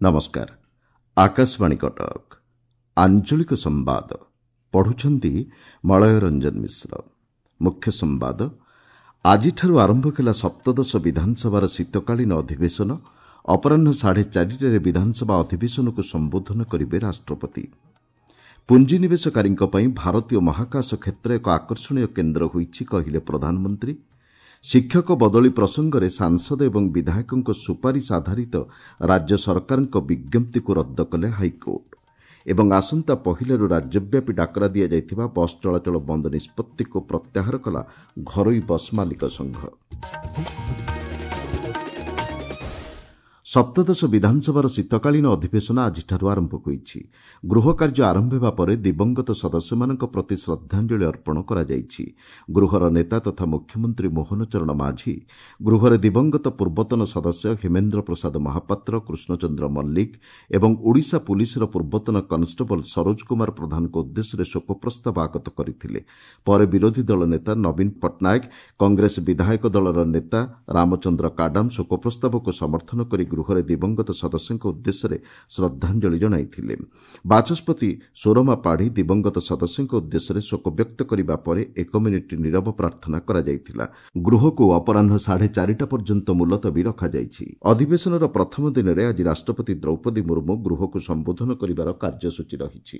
ନମସ୍କାର, ଆକାଶବାଣୀ କଟକ। ଆଞ୍ଚଳିକ ସମ୍ବାଦ ପଢୁଛନ୍ତି ମଳୟ ରଞ୍ଜନ ମିଶ୍ର। ମୁଖ୍ୟ ସମ୍ବାଦ। ଆଜିଠାରୁ ଆରମ୍ଭ ହେଲା ସପ୍ତଦଶ ବିଧାନସଭାର ଶୀତକାଳୀନ ଅଧିବେଶନ। ଅପରାହ୍ନ 4:30ରେ ବିଧାନସଭା ଅଧିବେଶନକୁ ସମ୍ବୋଧନ କରିବେ ରାଷ୍ଟ୍ରପତି। ପୁଞ୍ଜିନିବେଶକାରୀଙ୍କ ପାଇଁ ଭାରତୀୟ ମହାକାଶ କ୍ଷେତ୍ର ଏକ ଆକର୍ଷଣୀୟ କେନ୍ଦ୍ର ହୋଇଛି, କହିଲେ ପ୍ରଧାନମନ୍ତ୍ରୀ। ଶିକ୍ଷକ ବଦଳି ପ୍ରସଙ୍ଗରେ ସାଂସଦ ଏବଂ ବିଧାୟକଙ୍କ ସୁପାରିଶ ଆଧାରିତ ରାଜ୍ୟ ସରକାରଙ୍କ ବିଜ୍ଞପ୍ତିକୁ ରଦ୍ଦ କଲେ ହାଇକୋର୍ଟ। ଏବଂ ଆସନ୍ତା ପହିଲାରୁ ରାଜ୍ୟବ୍ୟାପୀ ଡାକରା ଦିଆଯାଇଥିବା ବସ୍ ଚଳାଚଳ ବନ୍ଦ ନିଷ୍ପତ୍ତିକୁ ପ୍ରତ୍ୟାହାର କଲା ଘରୋଇ ବସ୍ ମାଲିକ ସଂଘ। ସପ୍ତଦଶ ବିଧାନସଭାର ଶୀତକାଳୀନ ଅଧିବେଶନ ଆଜିଠାରୁ ଆରମ୍ଭ ହୋଇଛି। ଗୃହ କାର୍ଯ୍ୟ ଆରମ୍ଭ ହେବା ପରେ ଦିବଂଗତ ସଦସ୍ୟମାନଙ୍କ ପ୍ରତି ଶ୍ରଦ୍ଧାଞ୍ଜଳି ଅର୍ପଣ କରାଯାଇଛି। ଗୃହର ନେତା ତଥା ମୁଖ୍ୟମନ୍ତ୍ରୀ ମୋହନ ଚରଣ ମାଝୀ ଗୃହରେ ଦିବଂଗତ ପୂର୍ବତନ ସଦସ୍ୟ ହେମେନ୍ଦ୍ର ପ୍ରସାଦ ମହାପାତ୍ର, କୃଷ୍ଣଚନ୍ଦ୍ର ମଲ୍ଲିକ ଏବଂ ଓଡ଼ିଶା ପୁଲିସର ପୂର୍ବତନ କନଷ୍ଟେବଳ ସରୋଜ କୁମାର ପ୍ରଧାନଙ୍କ ଉଦ୍ଦେଶ୍ୟରେ ଶୋକ ପ୍ରସ୍ତାବ ଆଗତ କରିଥିଲେ। ପରେ ବିରୋଧୀ ଦଳ ନେତା ନବୀନ ପଟ୍ଟନାୟକ, କଂଗ୍ରେସ ବିଧାୟକ ଦଳର ନେତା ରାମଚନ୍ଦ୍ର କାଡାମ ଶୋକ ପ୍ରସ୍ତାବକୁ ସମର୍ଥନ କରି ଗୃହରେ ଦିବଂଗତ ସଦସ୍ୟଙ୍କ ଉଦ୍ଦେଶ୍ୟରେ ଶ୍ରଦ୍ଧାଞ୍ଜଳି ଜଣାଇଥିଲେ। ବାଚସ୍ପତି ସୁରମା ପାଢ଼ୀ ଦିବଂଗତ ସଦସ୍ୟଙ୍କ ଉଦ୍ଦେଶ୍ୟରେ ଶୋକ ବ୍ୟକ୍ତ କରିବା ପରେ ଏକ ମିନିଟ୍ ନୀରବ ପ୍ରାର୍ଥନା କରାଯାଇଥିଲା। ଗୃହକୁ ଅପରାହ୍ନ 4:30 ପର୍ଯ୍ୟନ୍ତ ମୁଲତବୀ ରଖାଯାଇଛି। ଅଧିବେଶନର ପ୍ରଥମ ଦିନରେ ଆଜି ରାଷ୍ଟ୍ରପତି ଦ୍ରୌପଦୀ ମୁର୍ମୁ ଗୃହକୁ ସମ୍ବୋଧନ କରିବାର କାର୍ଯ୍ୟସୂଚୀ ରହିଛି।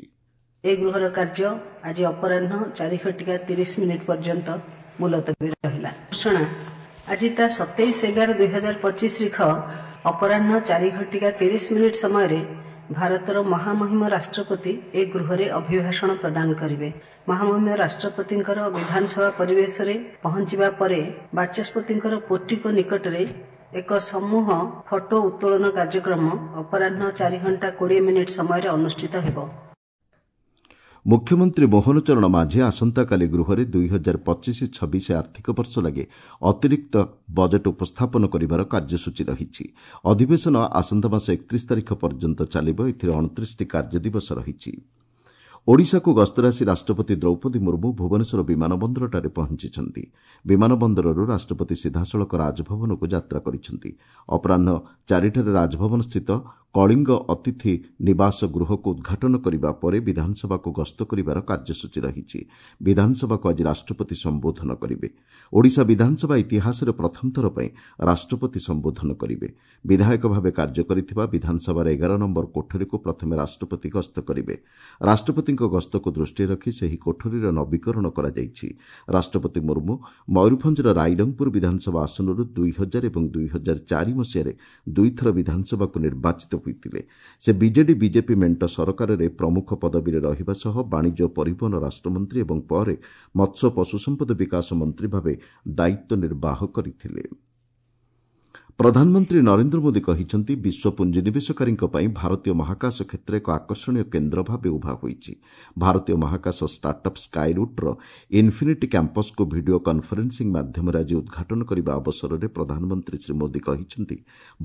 ଏ ଗୃହର କାର୍ଯ୍ୟ ଆଜି ଅପରାହ୍ନ 4:30 ପର୍ଯ୍ୟନ୍ତ ମୁଲତବୀ ରହିଲା। ଘୋଷଣା ଆଜି ତା 27/11/2025 ରିଖ ଅପରାହ୍ନ 4:30 ସମୟରେ ଭାରତର ମହାମହିମ ରାଷ୍ଟ୍ରପତି ଏ ଗୃହରେ ଅଭିଭାଷଣ ପ୍ରଦାନ କରିବେ। ମହାମହିମ ରାଷ୍ଟ୍ରପତିଙ୍କର ବିଧାନସଭା ପରିବେଶରେ ପହଞ୍ଚିବା ପରେ ବାଚସ୍ପତିଙ୍କର ପୋର୍ଟିକୋ ନିକଟରେ ଏକ ସମୂହ ଫଟୋ ଉତ୍ତୋଳନ କାର୍ଯ୍ୟକ୍ରମ ଅପରାହ୍ନ 4:20 ସମୟରେ ଅନୁଷ୍ଠିତ ହେବ। ମୁଖ୍ୟମନ୍ତ୍ରୀ ମୋହନ ଚରଣ ମାଝୀ ଆସନ୍ତାକାଲି ଗୃହରେ 2025-26 ଆର୍ଥିକ ବର୍ଷ ଲାଗି ଅତିରିକ୍ତ ବଜେଟ୍ ଉପସ୍ଥାପନ କରିବାର କାର୍ଯ୍ୟସୂଚୀ ରହିଛି। ଅଧିବେଶନ ଆସନ୍ତା ମାସ 31 ତାରିଖ ପର୍ଯ୍ୟନ୍ତ ଚାଲିବ। ଏଥିରେ 29ଟି କାର୍ଯ୍ୟଦିବସ ରହିଛି। ଓଡ଼ିଶାକୁ ଗସ୍ତରେ ଆସି ରାଷ୍ଟ୍ରପତି ଦ୍ରୌପଦୀ ମୁର୍ମୁ ଭୁବନେଶ୍ୱର ବିମାନ ବନ୍ଦରଠାରେ ପହଞ୍ଚିଛନ୍ତି। ବିମାନ ବନ୍ଦରରୁ ରାଷ୍ଟ୍ରପତି ସିଧାସଳଖ ରାଜଭବନକୁ ଯାତ୍ରା କରିଛନ୍ତି। ଅପରାହ୍ନ 4ଟାରେ ରାଜଭବନସ୍ଥିତ କଳିଙ୍ଗ ଅତିଥି ନିବାସ ଗୃହକୁ ଉଦ୍ଘାଟନ କରିବା ପରେ ବିଧାନସଭାକୁ ଗସ୍ତ କରିବାର କାର୍ଯ୍ୟସୂଚୀ ରହିଛି। ବିଧାନସଭାକୁ ଆଜି ରାଷ୍ଟ୍ରପତି ସମ୍ବୋଧନ କରିବେ। ଓଡ଼ିଶା ବିଧାନସଭା ଇତିହାସରେ ପ୍ରଥମ ଥର ପାଇଁ ରାଷ୍ଟ୍ରପତି ସମ୍ବୋଧନ କରିବେ। ବିଧାୟକ ଭାବେ କାର୍ଯ୍ୟ କରିଥିବା ବିଧାନସଭାର 11 ନମ୍ବର କୋଠରୀକୁ ପ୍ରଥମେ ରାଷ୍ଟ୍ରପତି ଗସ୍ତ କରିବେ। ରାଷ୍ଟ୍ରପତିଙ୍କ ଗସ୍ତକୁ ଦୃଷ୍ଟିରେ ରଖି ସେହି କୋଠରୀର ନବୀକରଣ କରାଯାଇଛି। ରାଷ୍ଟ୍ରପତି ମୁର୍ମୁ ମୟୂରଭଞ୍ଜର ରାଇରଙ୍ଗପୁର ବିଧାନସଭା ଆସନରୁ 2000 ଏବଂ 2004 ମସିହାରେ ଦୁଇଥର ବିଧାନସଭାକୁ ନିର୍ବାଚିତ ହୋଇଥିଲେ। ସେ ବିଜେଡି ବିଜେପି ମେଣ୍ଟ ସରକାରରେ ପ୍ରମୁଖ ପଦବୀରେ ରହିବା ସହ ବାଣିଜ୍ୟ ଓ ପରିବହନ ରାଷ୍ଟ୍ରମନ୍ତ୍ରୀ ଏବଂ ପରେ ମତ୍ସ୍ୟ ପଶୁସମ୍ପଦ ବିକାଶ ମନ୍ତ୍ରୀ ଭାବେ ଦାୟିତ୍ୱ ନିର୍ବାହ କରିଥିଲେ। ପ୍ରଧାନମନ୍ତ୍ରୀ ନରେନ୍ଦ୍ର ମୋଦି କହିଛନ୍ତି, ବିଶ୍ୱ ପୁଞ୍ଜିନିବେଶକାରୀଙ୍କ ପାଇଁ ଭାରତୀୟ ମହାକାଶ କ୍ଷେତ୍ର ଏକ ଆକର୍ଷଣୀୟ କେନ୍ଦ୍ର ଭାବେ ଉଭା ହୋଇଛି। ଭାରତୀୟ ମହାକାଶ ଷ୍ଟାର୍ଟଅପ୍ ସ୍କାଇରୁଟ୍ର ଇନ୍ଫିନିଟି କ୍ୟାମ୍ପସ୍କୁ ଭିଡିଓ କନ୍ଫରେନ୍ସିଂ ମାଧ୍ୟମରେ ଆଜି ଉଦ୍ଘାଟନ କରିବା ଅବସରରେ ପ୍ରଧାନମନ୍ତ୍ରୀ ଶ୍ରୀ ମୋଦି କହିଛନ୍ତି,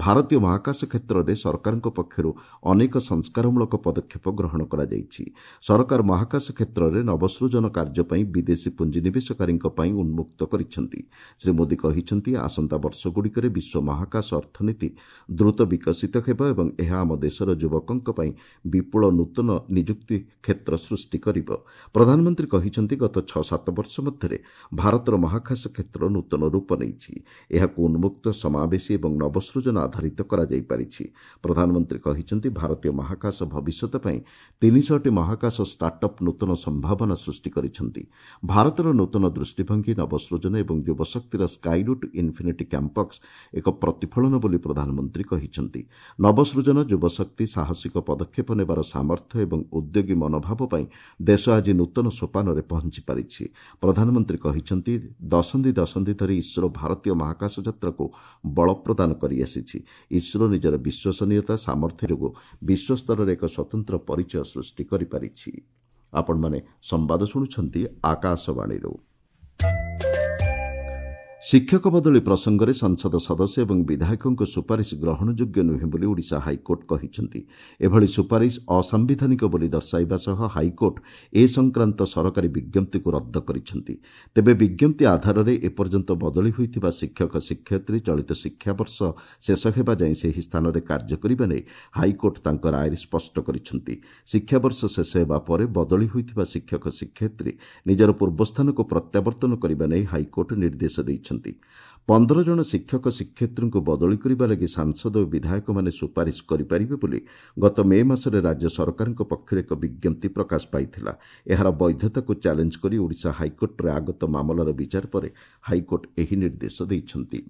ଭାରତୀୟ ମହାକାଶ କ୍ଷେତ୍ରରେ ସରକାରଙ୍କ ପକ୍ଷରୁ ଅନେକ ସଂସ୍କାରମୂଳକ ପଦକ୍ଷେପ ଗ୍ରହଣ କରାଯାଇଛି। ସରକାର ମହାକାଶ କ୍ଷେତ୍ରରେ ନବସୃଜନ କାର୍ଯ୍ୟ ପାଇଁ ବିଦେଶୀ ପୁଞ୍ଜିନିବେଶକାରୀଙ୍କ ପାଇଁ ଉନ୍ମୁକ୍ତ କରିଛନ୍ତି। ଶ୍ରୀ ମୋଦି କହିଛନ୍ତି, ଆସନ୍ତା ବର୍ଷଗୁଡ଼ିକରେ ବିଶ୍ୱ ମହାକାଶ ଅର୍ଥନୀତି ଦ୍ରୁତ ବିକଶିତ ହେବ ଏବଂ ଏହା ଆମ ଦେଶର ଯୁବକଙ୍କ ପାଇଁ ବିପୁଳ ନୂତନ ନିଯୁକ୍ତି କ୍ଷେତ୍ର ସୃଷ୍ଟି କରିବ। ପ୍ରଧାନମନ୍ତ୍ରୀ କହିଛନ୍ତି, ଗତ 6-7 ବର୍ଷ ମଧ୍ୟରେ ଭାରତର ମହାକାଶ କ୍ଷେତ୍ର ନୂତନ ରୂପ ନେଇଛି। ଏହାକୁ ଉନ୍ମୁକ୍ତ, ସମାବେଶୀ ଏବଂ ନବସୃଜନ ଆଧାରିତ କରାଯାଇପାରିଛି। ପ୍ରଧାନମନ୍ତ୍ରୀ କହିଛନ୍ତି, ଭାରତୀୟ ମହାକାଶ ଭବିଷ୍ୟତ ପାଇଁ 300ଟି ମହାକାଶ ଷ୍ଟାର୍ଟଅପ୍ ନୂତନ ସମ୍ଭାବନା ସୃଷ୍ଟି କରିଛନ୍ତି। ଭାରତର ନୂତନ ଦୃଷ୍ଟିଭଙ୍ଗୀ, ନବସୃଜନ ଏବଂ ଯୁବଶକ୍ତିର ସ୍କାଇରୁଟ୍ ଇନ୍ଫିନିଟି କ୍ୟାମ୍ପସ୍ ଏକ ପ୍ରତିଫଳନ ବୋଲି ପ୍ରଧାନମନ୍ତ୍ରୀ କହିଛନ୍ତି। ନବସୃଜନ, ଯୁବଶକ୍ତି, ସାହସିକ ପଦକ୍ଷେପ ନେବାର ସାମର୍ଥ୍ୟ ଏବଂ ଉଦ୍ୟୋଗୀ ମନୋଭାବ ପାଇଁ ଦେଶ ଆଜି ନୂତନ ସୋପାନରେ ପହଞ୍ଚି ପାରିଛି। ପ୍ରଧାନମନ୍ତ୍ରୀ କହିଛନ୍ତି, ଦଶନ୍ଧି ଦଶନ୍ଧି ଧରି ଇସ୍ରୋ ଭାରତୀୟ ମହାକାଶ ଯାତ୍ରାକୁ ବଳ ପ୍ରଦାନ କରିଆସିଛି। ଇସ୍ରୋ ନିଜର ବିଶ୍ୱସନୀୟତା, ସାମର୍ଥ୍ୟ ଯୋଗୁଁ ବିଶ୍ୱସ୍ତରରେ ଏକ ସ୍ୱତନ୍ତ୍ର ପରିଚୟ ସୃଷ୍ଟି କରିପାରିଛି। ଆପଣମାନେ ସମ୍ବାଦ ଶୁଣୁଛନ୍ତି ଆକାଶବାଣୀରୁ। ଶିକ୍ଷକ ବଦଳି ପ୍ରସଙ୍ଗରେ ସଂସଦ ସଦସ୍ୟ ଏବଂ ବିଧାୟକଙ୍କ ସୁପାରିଶ ଗ୍ରହଣଯୋଗ୍ୟ ନୁହେଁ ବୋଲି ଓଡ଼ିଶା ହାଇକୋର୍ଟ କହିଛନ୍ତି। ଏଭଳି ସୁପାରିଶ ଅସାମ୍ବିଧାନିକ ବୋଲି ଦର୍ଶାଇବା ସହ ହାଇକୋର୍ଟ ଏ ସଂକ୍ରାନ୍ତ ସରକାରୀ ବିଜ୍ଞପ୍ତିକୁ ରଦ୍ଦ କରିଛନ୍ତି। ତେବେ ବିଜ୍ଞପ୍ତି ଆଧାରରେ ଏପର୍ଯ୍ୟନ୍ତ ବଦଳି ହୋଇଥିବା ଶିକ୍ଷକ ଶିକ୍ଷୟିତ୍ରୀ ଚଳିତ ଶିକ୍ଷାବର୍ଷ ଶେଷ ହେବା ଯାଏଁ ସେହି ସ୍ଥାନରେ କାର୍ଯ୍ୟ କରିବା ନେଇ ହାଇକୋର୍ଟ ତାଙ୍କ ରାୟରେ ସ୍ପଷ୍ଟ କରିଛନ୍ତି। ଶିକ୍ଷାବର୍ଷ ଶେଷ ହେବା ପରେ ବଦଳି ହୋଇଥିବା ଶିକ୍ଷକ ଶିକ୍ଷୟିତ୍ରୀ ନିଜର ପୂର୍ବସ୍ଥାନକୁ ପ୍ରତ୍ୟାବର୍ତ୍ତନ କରିବା ନେଇ ହାଇକୋର୍ଟ ନିର୍ଦ୍ଦେଶ ଦେଇଛନ୍ତି। 15 ଜଣ ଶିକ୍ଷକ ଶିକ୍ଷୟିତ୍ରୀଙ୍କୁ ବଦଳି କରିବା ଲାଗି ସାଂସଦ ଓ ବିଧାୟକମାନେ ସୁପାରିଶ କରିପାରିବେ ବୋଲି ଗତ ମେ ମାସରେ ରାଜ୍ୟ ସରକାରଙ୍କ ପକ୍ଷରୁ ଏକ ବିଜ୍ଞପ୍ତି ପ୍ରକାଶ ପାଇଥିଲା। ଏହାର ବୈଧତାକୁ ଚ୍ୟାଲେଞ୍ଜ କରି ଓଡ଼ିଶା ହାଇକୋର୍ଟରେ ଆଗତ ମାମଲାର ବିଚାର ପରେ ହାଇକୋର୍ଟ ଏହି ନିର୍ଦ୍ଦେଶ ଦେଇଛନ୍ତି।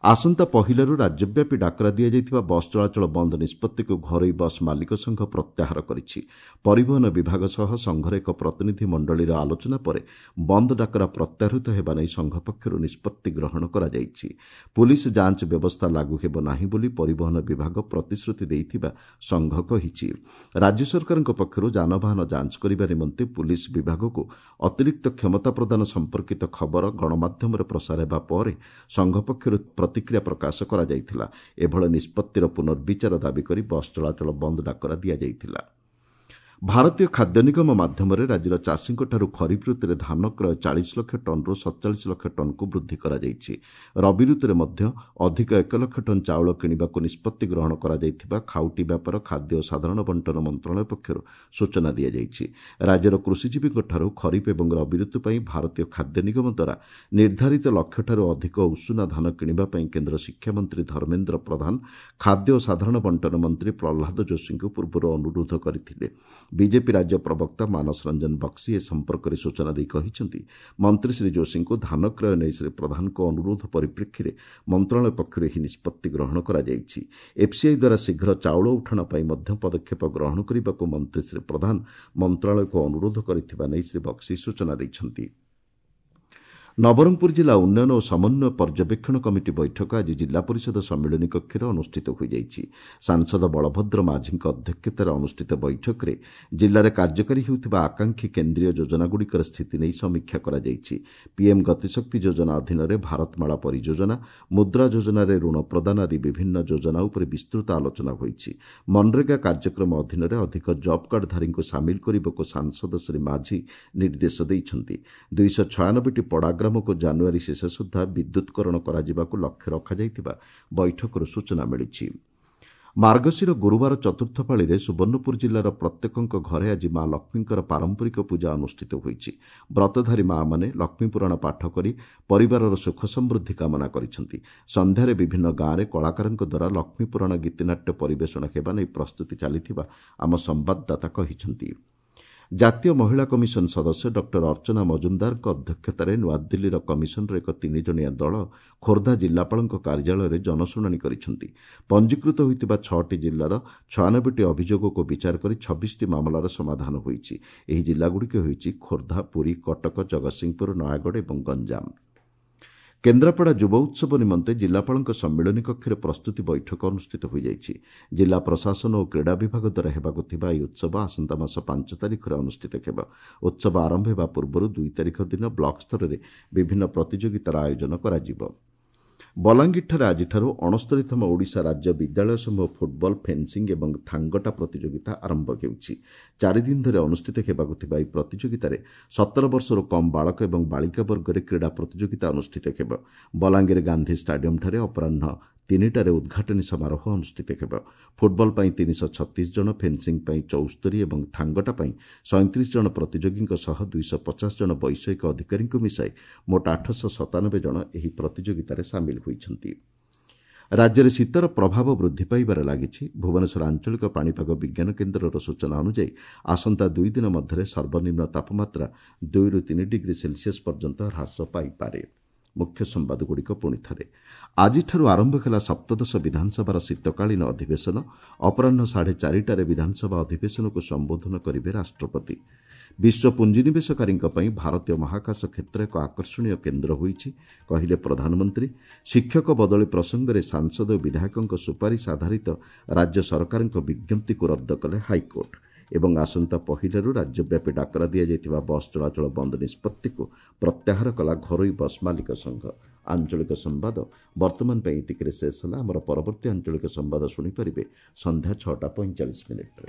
ଆସନ୍ତା ପହିଲାରୁ ରାଜ୍ୟବ୍ୟାପୀ ଡାକରା ଦିଆଯାଇଥିବା ବସ୍ ଚଳାଚଳ ବନ୍ଦ ନିଷ୍ପତ୍ତିକୁ ଘରୋଇ ବସ୍ ମାଲିକ ସଂଘ ପ୍ରତ୍ୟାହାର କରିଛି। ପରିବହନ ବିଭାଗ ସହ ସଂଘର ଏକ ପ୍ରତିନିଧି ମଣ୍ଡଳୀର ଆଲୋଚନା ପରେ ବନ୍ଦ ଡାକରା ପ୍ରତ୍ୟାହୃତ ହେବା ନେଇ ସଂଘ ପକ୍ଷରୁ ନିଷ୍ପତ୍ତି ଗ୍ରହଣ କରାଯାଇଛି। ପୁଲିସ ଯାଞ୍ଚ ବ୍ୟବସ୍ଥା ଲାଗୁ ହେବ ନାହିଁ ବୋଲି ପରିବହନ ବିଭାଗ ପ୍ରତିଶ୍ରୁତି ଦେଇଥିବା ସଂଘ କହିଛି। ରାଜ୍ୟ ସରକାରଙ୍କ ପକ୍ଷରୁ ଯାନବାହନ ଯାଞ୍ଚ କରିବା ନିମନ୍ତେ ପୁଲିସ ବିଭାଗକୁ ଅତିରିକ୍ତ କ୍ଷମତା ପ୍ରଦାନ ସମ୍ପର୍କିତ ଖବର ଗଣମାଧ୍ୟମରେ ପ୍ରସାର ହେବା ପରେ ସଂଘ ପକ୍ଷରୁ ପ୍ରତିକ୍ରିୟା ପ୍ରକାଶ କରାଯାଇଥିଲା। ଏଭଳି ନିଷ୍ପତ୍ତିର ପୁନର୍ବିଚାର ଦାବି କରି ବସ୍ ଚଳାଚଳ ବନ୍ଦ ଡାକରା ଦିଆଯାଇଥିଲା। ଭାରତୀୟ ଖାଦ୍ୟ ନିଗମ ମାଧ୍ୟମରେ ରାଜ୍ୟର ଚାଷୀଙ୍କଠାରୁ ଖରିଫ ଋତୁରେ ଧାନ କ୍ରୟ 40 ଲକ୍ଷ ଟନ୍ରୁ 47 ଲକ୍ଷ ଟନ୍କୁ ବୃଦ୍ଧି କରାଯାଇଛି। ରବି ଋତୁରେ ମଧ୍ୟ ଅଧିକ 1 ଲକ୍ଷ ଟନ୍ ଚାଉଳ କିଣିବାକୁ ନିଷ୍ପତ୍ତି ଗ୍ରହଣ କରାଯାଇଥିବା ଖାଉଟି ବ୍ୟାପାର, ଖାଦ୍ୟ ଓ ସାଧାରଣ ବଣ୍ଟନ ମନ୍ତ୍ରଣାଳୟ ପକ୍ଷରୁ ସୂଚନା ଦିଆଯାଇଛି। ରାଜ୍ୟର କୃଷିଜୀବୀଙ୍କଠାରୁ ଖରିଫ ଏବଂ ରବି ଋତୁ ପାଇଁ ଭାରତୀୟ ଖାଦ୍ୟ ନିଗମ ଦ୍ୱାରା ନିର୍ଦ୍ଧାରିତ ଲକ୍ଷ୍ୟଠାରୁ ଅଧିକ ଉଷୁନା ଧାନ କିଣିବା ପାଇଁ କେନ୍ଦ୍ର ଶିକ୍ଷାମନ୍ତ୍ରୀ ଧର୍ମେନ୍ଦ୍ର ପ୍ରଧାନ ଖାଦ୍ୟ ଓ ସାଧାରଣ ବଣ୍ଟନ ମନ୍ତ୍ରୀ ପ୍ରହ୍ଲାଦ ଯୋଶୀଙ୍କୁ ପୂର୍ବରୁ ଅନୁରୋଧ କରିଥିଲେ। ବିଜେପି ରାଜ୍ୟ ପ୍ରବକ୍ତା ମାନସ ରଞ୍ଜନ ବକ୍ସି ଏ ସମ୍ପର୍କରେ ସୂଚନା ଦେଇ କହିଛନ୍ତି, ମନ୍ତ୍ରୀ ଶ୍ରୀ ଯୋଶୀଙ୍କୁ ଧାନ କ୍ରୟ ନେଇ ଶ୍ରୀ ପ୍ରଧାନଙ୍କ ଅନୁରୋଧ ପରିପ୍ରେକ୍ଷୀରେ ମନ୍ତ୍ରଣାଳୟ ପକ୍ଷରୁ ଏହି ନିଷ୍ପତ୍ତି ଗ୍ରହଣ କରାଯାଇଛି। ଏଫ୍ସିଆଇ ଦ୍ୱାରା ଶୀଘ୍ର ଚାଉଳ ଉଠାଣ ପାଇଁ ମଧ୍ୟ ପଦକ୍ଷେପ ଗ୍ରହଣ କରିବାକୁ ମନ୍ତ୍ରୀ ଶ୍ରୀ ପ୍ରଧାନ ମନ୍ତ୍ରଣାଳୟକୁ ଅନୁରୋଧ କରିଥିବା ନେଇ ଶ୍ରୀ ବକ୍ସି ସୂଚନା ଦେଇଛନ୍ତି। ନବରଙ୍ଗପୁର ଜିଲ୍ଲା ଉନ୍ନୟନ ଓ ସମନ୍ୱୟ ପର୍ଯ୍ୟବେକ୍ଷଣ କମିଟି ବୈଠକ ଆଜି ଜିଲ୍ଲା ପରିଷଦ ସମ୍ମିଳନୀ କକ୍ଷରେ ଅନୁଷ୍ଠିତ ହୋଇଯାଇଛି। ସାଂସଦ ବଳଭଦ୍ର ମାଝୀଙ୍କ ଅଧ୍ୟକ୍ଷତାରେ ଅନୁଷ୍ଠିତ ବୈଠକରେ ଜିଲ୍ଲାରେ କାର୍ଯ୍ୟକାରୀ ହେଉଥିବା ଆକାଂକ୍ଷୀ କେନ୍ଦ୍ରୀୟ ଯୋଜନାଗୁଡ଼ିକର ସ୍ଥିତି ନେଇ ସମୀକ୍ଷା କରାଯାଇଛି। ପିଏମ୍ ଗତିଶକ୍ତି ଯୋଜନା ଅଧୀନରେ ଭାରତମାଳା ପରିଯୋଜନା, ମୁଦ୍ରା ଯୋଜନାରେ ଋଣ ପ୍ରଦାନ ଆଦି ବିଭିନ୍ନ ଯୋଜନା ଉପରେ ବିସ୍ତୃତ ଆଲୋଚନା ହୋଇଛି। ମନରେଗା କାର୍ଯ୍ୟକ୍ରମ ଅଧୀନରେ ଅଧିକ ଜବ୍ କାର୍ଡଧାରୀଙ୍କୁ ସାମିଲ କରିବାକୁ ସାଂସଦ ଶ୍ରୀ ମାଝୀ ନିର୍ଦ୍ଦେଶ ଦେଇଛନ୍ତି। 296ଟି ପଡ଼ାଗ୍ରାମ କୁ ଜାନୁଆରୀ ଶେଷ ସୁଦ୍ଧା ବିଦ୍ୟୁତ୍କରଣ କରାଯିବାକୁ ଲକ୍ଷ୍ୟ ରଖାଯାଇଥିବା ବୈଠକରୁ ସୂଚନା ମିଳିଛି। ମାର୍ଗଶିର ଗୁରୁବାର ଚତୁର୍ଥ ପାଳିରେ ସୁବର୍ଣ୍ଣପୁର ଜିଲ୍ଲାର ପ୍ରତ୍ୟେକଙ୍କ ଘରେ ଆଜି ମା ଲକ୍ଷ୍ମୀଙ୍କର ପାରମ୍ପରିକ ପୂଜା ଅନୁଷ୍ଠିତ ହୋଇଛି। ବ୍ରତଧାରୀ ମାଆମାନେ ଲକ୍ଷ୍ମୀପୁରାଣ ପାଠ କରି ପରିବାରର ସୁଖ ସମୃଦ୍ଧି କାମନା କରିଛନ୍ତି। ସନ୍ଧ୍ୟାରେ ବିଭିନ୍ନ ଗାଁରେ କଳାକାରଙ୍କ ଦ୍ୱାରା ଲକ୍ଷ୍ମୀପୁରାଣ ଗୀତିନାଟ୍ୟ ପରିବେଷଣ ହେବା ନେଇ ପ୍ରସ୍ତୁତି ଚାଲିଥିବା ଆମ ସମ୍ବାଦଦାତା କହିଛନ୍ତି। ଜାତୀୟ ମହିଳା କମିଶନ ସଦସ୍ୟ ଡକ୍ଟର ଅର୍ଚ୍ଚନା ମଜୁମଦାରଙ୍କ ଅଧ୍ୟକ୍ଷତାରେ ନୂଆଦିଲ୍ଲୀର କମିଶନର ଏକ 3 ଜଣିଆ ଦଳ ଖୋର୍ଦ୍ଧା ଜିଲ୍ଲାପାଳଙ୍କ କାର୍ଯ୍ୟାଳୟରେ ଜନଶୁଣାଣି କରିଛନ୍ତି। ପଞ୍ଜୀକୃତ ହୋଇଥିବା 6ଟି ଜିଲ୍ଲାର 96ଟି ଅଭିଯୋଗକୁ ବିଚାର କରି 26ଟି ମାମଲାର ସମାଧାନ ହୋଇଛି। ଏହି ଜିଲ୍ଲାଗୁଡ଼ିକ ହେଉଛି ଖୋର୍ଦ୍ଧା, ପୁରୀ, କଟକ, ଜଗତସିଂହପୁର, ନୟାଗଡ଼ ଏବଂ ଗଞ୍ଜାମ। କେନ୍ଦ୍ରାପଡ଼ା ଯୁବ ଉତ୍ସବ ନିମନ୍ତେ ଜିଲ୍ଲାପାଳଙ୍କ ସମ୍ମିଳନୀ କକ୍ଷରେ ପ୍ରସ୍ତୁତି ବୈଠକ ଅନୁଷ୍ଠିତ ହୋଇଯାଇଛି। ଜିଲ୍ଲା ପ୍ରଶାସନ ଓ କ୍ରୀଡ଼ା ବିଭାଗ ଦ୍ୱାରା ହେବାକୁ ଥିବା ଏହି ଉତ୍ସବ ଆସନ୍ତା ମାସ 5 ତାରିଖରେ ଅନୁଷ୍ଠିତ ହେବ। ଉତ୍ସବ ଆରମ୍ଭ ହେବା ପୂର୍ବରୁ 2 ତାରିଖ ଦିନ ବ୍ଲକ ସ୍ତରରେ ବିଭିନ୍ନ ପ୍ରତିଯୋଗିତାର ଆୟୋଜନ କରାଯିବ। ବଲାଙ୍ଗୀରଠାରେ ଆଜିଠାରୁ 69ତମ ଓଡ଼ିଶା ରାଜ୍ୟ ବିଦ୍ୟାଳୟ ସମୂହ ଫୁଟବଲ, ଫେନ୍ସିଂ ଏବଂ ଥାଙ୍ଗଟା ପ୍ରତିଯୋଗିତା ଆରମ୍ଭ ହେଉଛି। 4 ଦିନ ଧରି ଅନୁଷ୍ଠିତ ହେବାକୁ ଥିବା ଏହି ପ୍ରତିଯୋଗିତାରେ 17 ବର୍ଷରୁ କମ୍ ବାଳକ ଏବଂ ବାଳିକା ବର୍ଗରେ କ୍ରୀଡ଼ା ପ୍ରତିଯୋଗିତା ଅନୁଷ୍ଠିତ ହେବ। ବଲାଙ୍ଗୀର ଗାନ୍ଧୀ ଷ୍ଟାଡିୟମଠାରେ ଅପରାହ୍ନ 3ଟାରେ ଉଦ୍ଘାଟନୀ ସମାରୋହ ଅନୁଷ୍ଠିତ ହେବ। ଫୁଟବଲ ପାଇଁ 336 ଜଣ, ଫେନ୍ସିଂ ପାଇଁ 74 ଏବଂ ଥାଙ୍ଗଟା ପାଇଁ 37 ଜଣ ପ୍ରତିଯୋଗୀଙ୍କ ସହ 250 ଜଣ ବୈଷୟିକ ଅଧିକାରୀଙ୍କୁ ମିଶାଇ ମୋଟ 897 ଜଣ ଏହି ପ୍ରତିଯୋଗିତାରେ ସାମିଲ ହୋଇଛନ୍ତି। ରାଜ୍ୟରେ ଶୀତର ପ୍ରଭାବ ବୃଦ୍ଧି ପାଇବାରେ ଲାଗିଛି। ଭୁବନେଶ୍ୱର ଆଞ୍ଚଳିକ ପାଣିପାଗ ବିଜ୍ଞାନ କେନ୍ଦ୍ରର ସୂଚନା ଅନୁଯାୟୀ ଆସନ୍ତା 2 ଦିନ ମଧ୍ୟରେ ସର୍ବନିମ୍ନ ତାପମାତ୍ରା 2ରୁ 3 ଡିଗ୍ରୀ ସେଲସିୟସ୍ ପର୍ଯ୍ୟନ୍ତ ହ୍ରାସ ପାଇପାରେ। ମୁଖ୍ୟ ସମ୍ବାଦଗୁଡ଼ିକ ପୁଣି ଥରେ। ଆଜିଠାରୁ ଆରମ୍ଭ ହେଲା ସପ୍ତଦଶ ବିଧାନସଭାର ଶୀତକାଳୀନ ଅଧିବେଶନ। ଅପରାହ୍ନ 4:30ଟାରେ ବିଧାନସଭା ଅଧିବେଶନକୁ ସମ୍ବୋଧନ କରିବେ ରାଷ୍ଟ୍ରପତି। ବିଶ୍ୱ ପୁଞ୍ଜିନିବେଶକାରୀଙ୍କ ପାଇଁ ଭାରତୀୟ ମହାକାଶ କ୍ଷେତ୍ର ଏକ ଆକର୍ଷଣୀୟ କେନ୍ଦ୍ର ହୋଇଛି, କହିଲେ ପ୍ରଧାନମନ୍ତ୍ରୀ। ଶିକ୍ଷକ ବଦଳି ପ୍ରସଙ୍ଗରେ ସାଂସଦ ଓ ବିଧାୟକଙ୍କ ସୁପାରିଶ ଆଧାରିତ ରାଜ୍ୟ ସରକାରଙ୍କ ବିଜ୍ଞପ୍ତିକୁ ରଦ୍ଦ କଲେ ହାଇକୋର୍ଟ। ଏବଂ ଆସନ୍ତା ପହିଲାରୁ ରାଜ୍ୟବ୍ୟାପୀ ଡାକରା ଦିଆଯାଇଥିବା ବସ୍ ଚଳାଚଳ ବନ୍ଦ ନିଷ୍ପତ୍ତିକୁ ପ୍ରତ୍ୟାହାର କଲା ଘରୋଇ ବସ୍ ମାଲିକ ସଂଘ। ଆଞ୍ଚଳିକ ସମ୍ବାଦ ବର୍ତ୍ତମାନ ପାଇଁ ଏତିକିରେ ଶେଷ ହେଲା। ଆମର ପରବର୍ତ୍ତୀ ଆଞ୍ଚଳିକ ସମ୍ବାଦ ଶୁଣିପାରିବେ ସନ୍ଧ୍ୟା 6ଟା 45 ମିନିଟ୍ରେ।